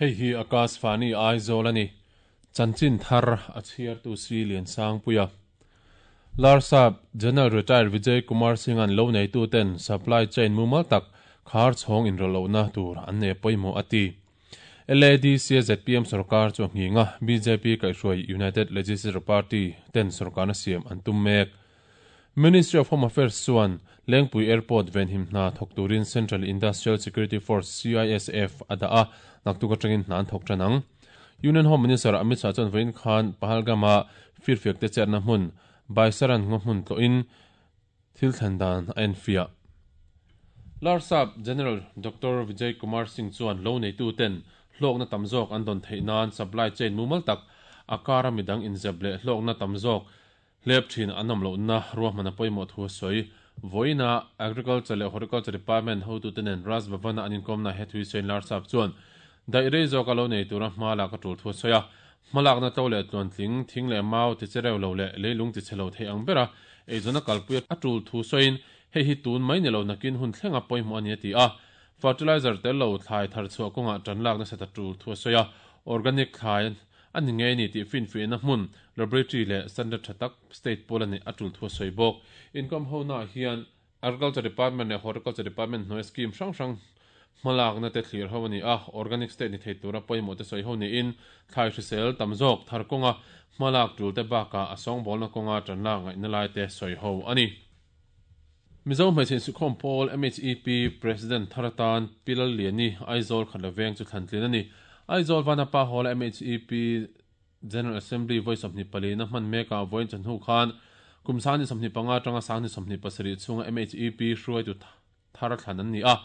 Hei hi Akashvani Aizawl a ni. Chanchin thar a chhiartu Si Liansangpuia. Larsap General Retired Vijay Kumar Singh-a'n lo neituten supply chain mumal tak khar chhawng inrawlh lohna tur an nei a pawimawh a ti. LADC a zpm sorkar chu a nghing a, bjp kaihhruai United Legislature Party ten sorkarna siam an tum mek. Ministry of Home Affairs chuan Lengpui Airport venhim hna thawk turin Central Industrial Security Force, CISF, a dah a, naktuk atangin hna an thawk tan ang. Union Home Minister Amit Shah chuan vawiin khan Pahalgam-a firfiakte chetna hmun Baisaran ngaw hmun tlawhin thil thlen dan a enfiah. Larsap General Doctor Vijay Kumar Singh chuan lo neituten hlawkna tam zawk an dawn theih nan supply chain mumal tak a kara midang inzep leh hlawkna tam zawk Hlep thin an awm lohna ruahman a pawimawh thu a sawi. Vawiinah Agriculture leh Horticulture Department hotute nen Raj Bhavan-a an inkawmna he thui sawiin Larsap chuan daih rei zawka lo nei tura hma lak a tul thu a sawi a. Hmalakna to leh tluantling, thing leh mau ti che reu lo leh leilung ti chhe lo thei ang bera eizawn a kalpui a tul thu sawiin hei hi tun mai ni lo nakin hun thlenga pawimawh a ni a ti a. Fertilizer tel lo thlai thar chhuah kawngah tan lak nasat a tul thu a sawi a. Organic thlai A ni ngei ni tih finfiahna hmun, laboratory leh standard tha tak state pawl a neih a tul thu a sawi bawk. Income hona hian Agriculture Department leh Horticulture Department hnuaia scheme hrang hrang hmalakna te thlir ho a ni a, organic state ni thei tura pawimawh te sawi ho niin thlai hrisel tam zawk thar kawnga hmalak tul te bakah a sawngbawlna kawnga tanlak ngaihna lai te sawi ho a ni. Mizo Hmeichhe Insukhawm Pawl, MHEP, President thar atan Pi Lalliani, Aizawl Khatla Veng chu thlan tlin a ni. Aizawl Vanapa Hall-a MHEP General Assembly vawi 24 na hman mekah vawiin chawhnu khan kum 25 atanga 27 chhunga MHEP hruaitu thar thlan an ni a.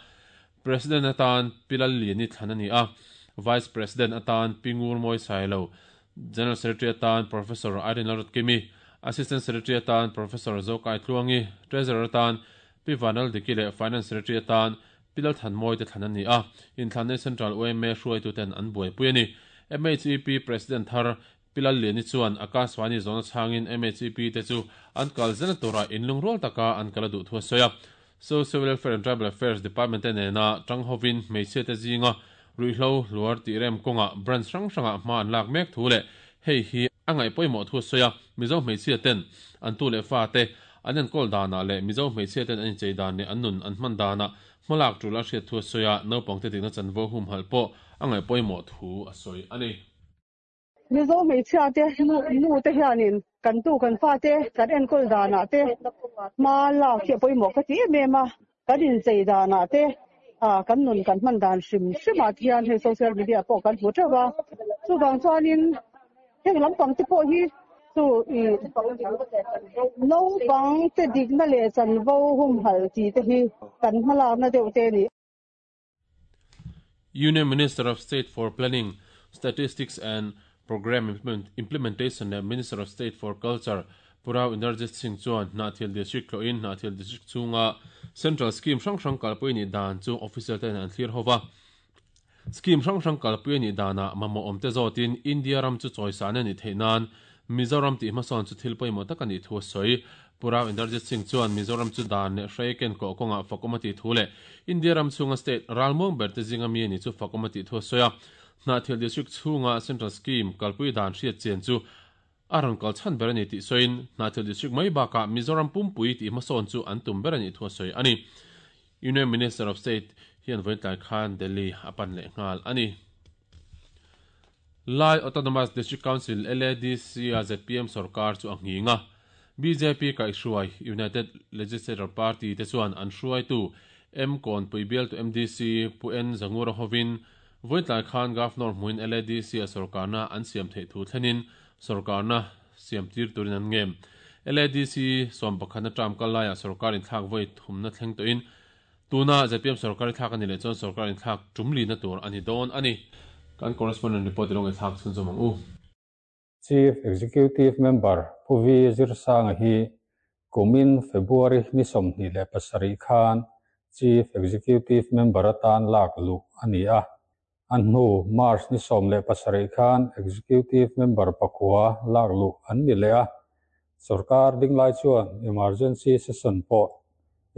President atan Pi Lalliani thlan a ni a, Vice President atan Pi Ngurmawi Sailo, General Secretary atan Professor Irene Lalrutkimi, Assistant Secretary atan Professor Zokai Tluangi, Treasurer atan Pi Vanal Diki leh Finance Secretary atan Pi Lalthanmawi te thlan an ni a, inthlanna Central yma hruaituten an buaipui a ni. MHEP President thar Pi Lalliani chuan Akashvani zawhna chhangin MHEP te chu an kal zela tura inlungrual taka an kal a duh thu a sawi a. Social Welfare and Tribal Affairs Department te nena tang hovin hmeichhia te zinga ruihhlo hluar tih rem kawngah branch hrang hrangah hma an lak mek thu leh hei hi a ngaih pawimawh thu a sawi a. Mizo hmeichhia ten an tu leh fa te an enkawl danah leh Mizo hmeichhia ten an inchei dan leh an nun an hman danah hmalak tul a hriat thu a sawi a, naupangte dikna chanvo humhalh pawh a ngaih pawimawh thu a sawi a ni. Mizo hmeichhia te nu te hianin kan tu kan fate kan enkawl danah te hma lak hi a pawimawh ka ti em em a, kan inchei danah te kan nun kan hman dan hrim hrimah te hian hei social media pawh kan hmu teuh a, chuvang chuanin heng lampang te pawh hi chu ih naupang te dikna leh chanvo humhalh tih te hi kan hmalakna deuh te a ni. Union Minister of State for Planning, Statistics and Programme Implementation leh Minister of State for Culture Pu Rao Inderjit Singh chuan Hnahthial District tlawhin Hnahthial District chhunga Central Scheme hrang hrang kalpui anih dan chu officer ten an thlir ho va. Scheme hrang hrang kalpui anih danah mamawh awmte zawtin India ram chu chawisan anih theih nan Mizoram tih hmasawn chu thil pawimawh tak anih thu a sawi. Pu Rao Inderjit Singh chuan Mizoram chu dan leh hrei ken kawh kawngah fakawm a tih thu leh India ram chhunga state ralmuang ber te zinga mi a nih chu fakawm a tih thu a sawi a. Hnahthial District chhunga Central Scheme kalpui dan hriat chian chu a rawn kal chhan ber a ni tih sawiin Hnahthial District mai bakah Mizoram pumpui tih hmasawn chu an tum ber a nih thu a sawi a ni. Union Minister of State hian vawiin tlai khan Delhi a pan leh nghal a ni. Lai Autonomous District Council, LADC, a zpm sorkar chu a nghing a. Bjp kaihhruai United Legislature Party te chuan an hruaitu M Kawnpui bialtu MDC Pu N Zangura hovin vawitlai khan Governor hmuin LADC a sorkarna an siam theih thu thlenin sorkarna siam tir turin an ngem. LADC sawmpakhatna term kal laiah sorkar inthlak vawi thumna thleng tawhin Tuna zpm sorkar i thlak a ni leh chuan sorkar inthlak tum lina tur a ni dawn a ni. Kan correspondent report i lo ngaihthlak chhunzawm ang u. Chief Executive Member Pu Vi Zirsanga hi kumin February ni 27 khan Chief Executive Member atan lak luh a ni a. A hnu March ni 17 khan Executive Member pakua lak luh an ni leh a. Sorkar dinglai chuan Emergency Session pawh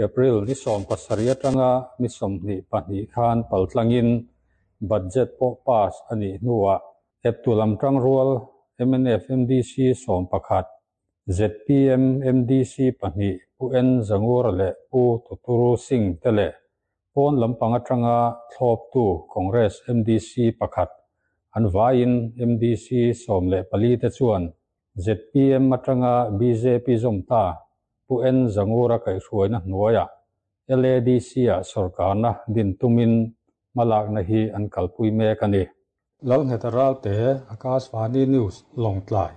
April ni 17 atanga ni 22 khan paltlangin Budget pawh pass a nih hnuah eptu lam tangrual mnf MDC 11, zpm MDC pahnih Pu N Zangura leh Pu Tuturu Singh te leh pawn lampang atanga thlawptu Congress MDC pakhat, an vaiin MDC 14 te chuan zpm atanga bjp zawm ta Pu N Zangura kaihhruaina hnuaiah LADC-ah sawrkarna din tumin hmalakna hi an kalpui mek a ni. Lalngheta Ralte, Akashvani News, Lawngtlai.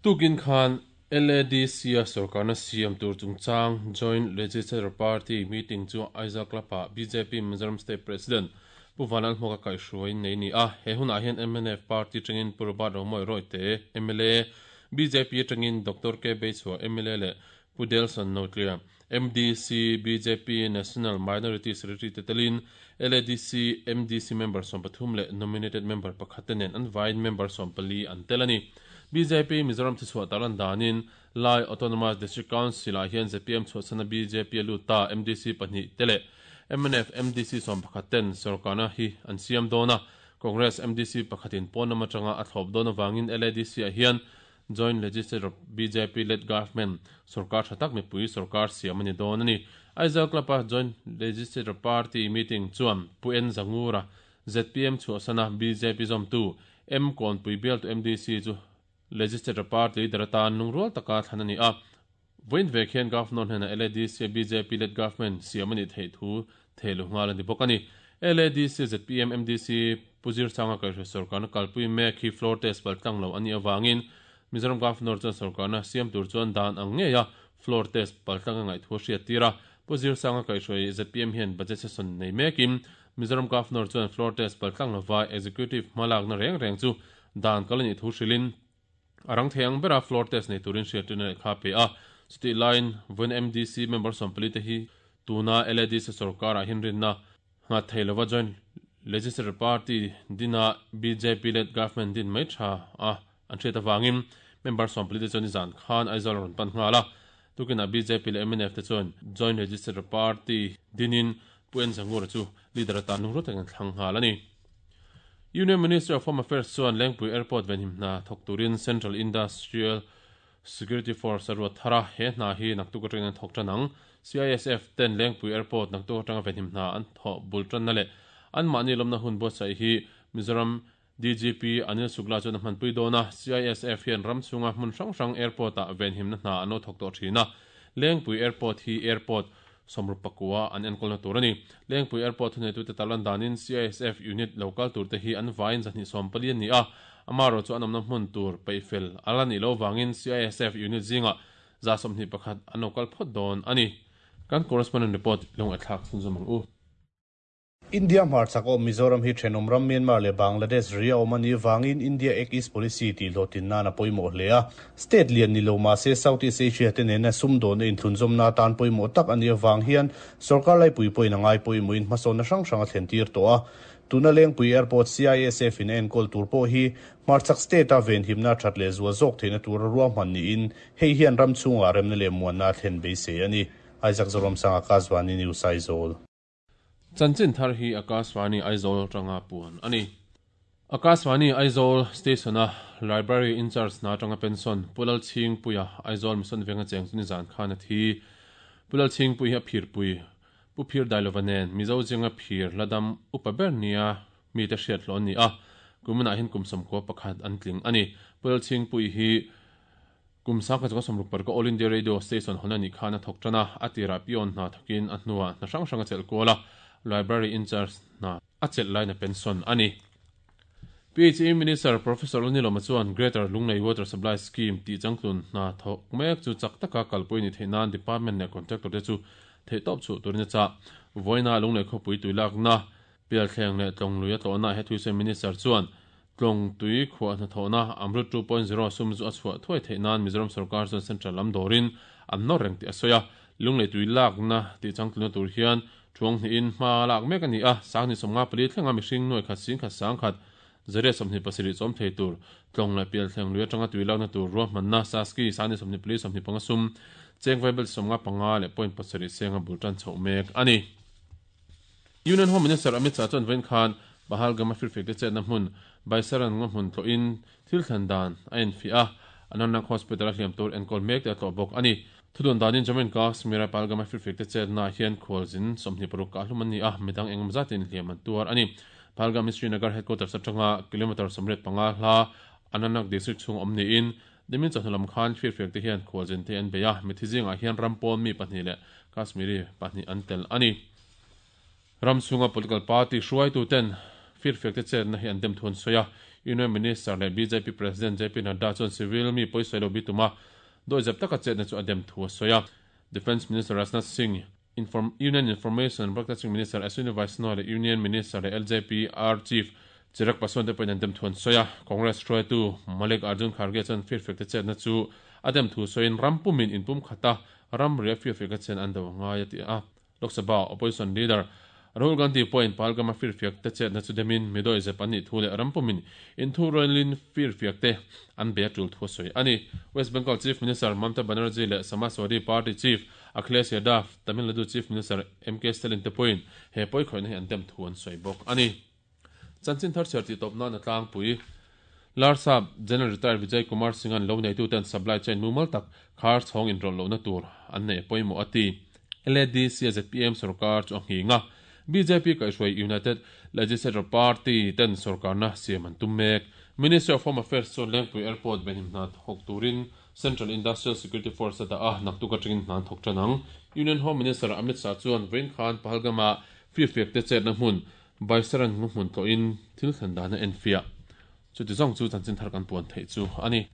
Tukin khan LADC-a sawrkarna siam tur chungchang Joint Legislature Party meeting chu Aizawl Club-ah bjp Mizoram State President Pu Vanlalhmuaka kaihhruaiin nei a ni a. He hunah hian mnf party atangin Pu Robert Romawi Rawite, mla, bjp atangin Doctor K Beichhua, mla leh Pu Delson Notlia, MDC, bjp National Minority Secretary te telin LADC MDC member 13 leh nominated member pakhat te nen an vaiin member 14 an tel a ni. Bjp Mizoram thuchhuah tarlan danin Lai Autonomous District Council-ah hian zpm chhuahchhana bjp a lut ta MDC pahnih te leh mnf MDC 11 ten sawrkarna hi an siam dawn a, Congress MDC pakhatin pawn lam atanga a thlawp dawn avangin LADC-ah hian Joint Legislature bjp led government sawrkar tha tak mipui sawrkar siam a ni dawn a ni. Aizawl Club-a Joint Legislature Party meeting chuan Pu N Zangura, zpm chhuahsana bjp zawmtu, M Kawnpui bialtu MDC chu Legislature Party leader atan lungrual taka thlan a ni a. Vawiin vek hian Governor hnenah LADC-a bjp led government siam a nih theih thu thehluh nghal a ni bawk a ni. LADC zpm MDC Pu Zirsanga kaihhruai sawrkarna kalpui mek hi floor test paltlang lo a nih avangin Mizoram Governor chuan sawrkarna siam tur chuan dan ang ngeia floor test paltlang a ngaih thu a hriat tir a. Pu Zirsanga kaihhruai zpm hian budget session nei mekin Mizoram Governor chuan floor test paltlang lova executive hmalakna reng reng chu dan kal a nih thu hrilhin A rang thei ang bera floor test nei turin hriattirna lehkha a pe a. Chutih laiin vawiin MDC member 14 te hi tuna LADC sawrkarah hian rinna nghat thei lova Joint Legislature Party dina bjp led government din mai tha a an hriat avangin member 14 te chuan nizan khan Aizawl a rawn pan nghal a. Tukinah bjp leh mnf te chuan Joint Legislature Party dinin Pu En Zangura chu leader atan lungrual takin an thlang nghal a ni. Union Ministry of Home Affairs chuan Lengpui Airport venhim hna thawk turin Central Industrial Security Force a ruat thar a, he hna hi naktuk atangin an thawk tan ang. CISF ten Lengpui Airport naktuk atanga venhim hna an thawh bul tanna leh anmahni lawmna hun buatsaih hi Mizoram DGP Anil Shukla chuan a hmanpui dawn a, CISF hian ram chhunga hmun hrang hrang airport-ah venhimna hna an lo thawk tawh thin a, Lengpui Airport hi airport 64 an enkawlna tur a ni. Lengpui Airport thuneitute tarlan danin CISF unit lo kal turte hi an vaiin 240 an ni a, amaherawhchu chu an awmna hmun tur peihfel a la nih loh vangin CISF unit zingah 121 an lo kal phawt dawn a ni. Kan correspondent report lo ngaihthlak chhunzawm ang u. India hmarchhak awm Mizoram hi thenawm ram Myanmar leh Bangladesh ri a awm a nih vangin India Act East Policy tih hlawhtlin nan a pawimawh hle a. State lian ni lo mah se South East Asia te nena sumdawnna inthlunzawmna atan pawimawh tak a nih avang hian sorkar laipui pawhin a ngai pawimawhin hmasawnna hrang hrang a thlen tir tawh a. Tuna Lengpui Airport CISF in a enkawl tur pawh hi hmarchhak state a venhimna that leh zual zawk theihna tura ruahman niin hei hian ram chhungah remna leh muanna a thlen beisei a ni. Isaac Zoramsanga, Kazvani News, Aizawl. Chanchin thar hi Akashvani Aizawl atanga puan a ni. Akashvani Aizawl Station-a Library in-charge hna atanga pension Pu Lalchhingpuia Aizawl Mission Venga cheng chu nizan khan a thi. Pu Lalchhingpui hi a phirpui Pu Phir Dailova nen Mizo zinga phir ladam upa ber nia mite hriat hlawh an ni a, kuminah hian kum 91 an tling a ni. Pu Lalchhingpui hi Kum 1960 ka All India Radio Station hawn a nih khan a thawk tan a, a tirah peon hna thawkin a hnuah hna hrang hrang a chelh kual a, Library in-charge hna a chelh laiin a pension a ni. PHE Minister Professor Lalnilawma chuan Greater Lunglei Water Supply Scheme tih changtlun hna thawk mek chu chak taka kalpui a nih theih nan Department leh Contractor te chu theihtawp chhuah turin a chah. Vawiina Lunglei khawpui tuilakna Pialthleng leh Tlawng lui a tlawhna he thuisem Minister chuan Tlawng tui khuah hnathawhna Amrut 2.0 sum zu a chhuah thuai theih nan Mizoram sorkar chuan Central lam dawrin an nawr reng tih a sawi a. Lunglei tui lakna tih changtlunna tur hian thuang hnihin hma lak mek a ni a, 1054 thlenga mihring nuai khat sing khat sang khat zariat 27 chawm thei tur Tlawng leh Pialthleng lui atanga tui lakna tur ruahmanna Saski 1024 25 sum cheng vaibel 55 leh point pasarih senga bul tan chhoh mek a ni. Union Home Minister Amit Shah chuan vawiin khan Pahalgam-a firfiakte chetna hmun Baisaran ngaw hmun tlawhin thil thlen dan a enfiah a, Anantnag Hospital-a hliam tur enkawl mek te a tlawh bawk a ni. Thudun danin Jammu and Kashmir-a Pahalgam-a firfiakte chetnaah hian khualzin 26 kah hlum an ni a, midang engemaw zatin hliam an tuar a ni. Pahalgam hi Srinagar headquarters atanga kilometre 85 hla Anantnag district chhung awm niin Nimin chawhnu lam khan firfiakte hian khualzin te an bei a, mithi zingah hian ram pawn mi pahnih leh Kashmiri pahnih an tel a ni. Ram chhunga political party hruaituten firfiakte chetna hi an dem thu an sawi a, Union Minister leh bjp President JP Nadda chuan civil mi pawisawi lo bi tuma dawihzep taka chetna chu a dem thu a sawi a. Defence Minister Rajnath Singh, Inform Union Information and Broadcasting Minister Ashwini Vaishnaw leh Union Minister leh LJPR Chief Chirag Paswan te pawhin an dem thu an sawi a. Congress hruaitu Malik Arjun Kharge chuan firfiakte chetna chu a dem thu sawiin ram pumin inpumkhata ramria firfiakte chen an do a ngai a ti a. Lok Sabha Opposition Leader Rahul Gandhi pawhin Pahalgam-a firfiak te chetna chu demin midawih zep an nih thu leh ram pumin inthurualin firfiak te an bei a tul thu a sawi a ni. West Bengal Chief Minister Mamta Banerjee leh Samajwadi Party Chief Akhilesh Yadav, Tamil Nadu Chief Minister MK Stalin te pawhin he pawikhawihna hi an dem thu an sawi bawk a ni. Chanchin thar chhiar tih tawp nan a tlangpui. Larsap General Retired Vijay Kumar Singh-a'n lo neituten supply chain mumal tak khar chhawng inrawlh lohna tur an neih a pawimawh a ti. LADC a zpm sorkar chu a nghing a, bjp kaihhruai United Legislature Party ten sorkarna siam an tum mek. Ministry of Home Affairs chuan Lengpui Airport venhim hna thawk turin Central Industrial Security Force a dah a, naktuk atangin hna an thawk tan ang. Union Home Minister Amit Shah chuan vawiin khan Pahalgam-ah firfiakte chetna hmun Baisaran ngaw hmun tlawhin thil thlen dan a enfiah. Chuti zawng chu chanchin thar kan puan theih chu a ni.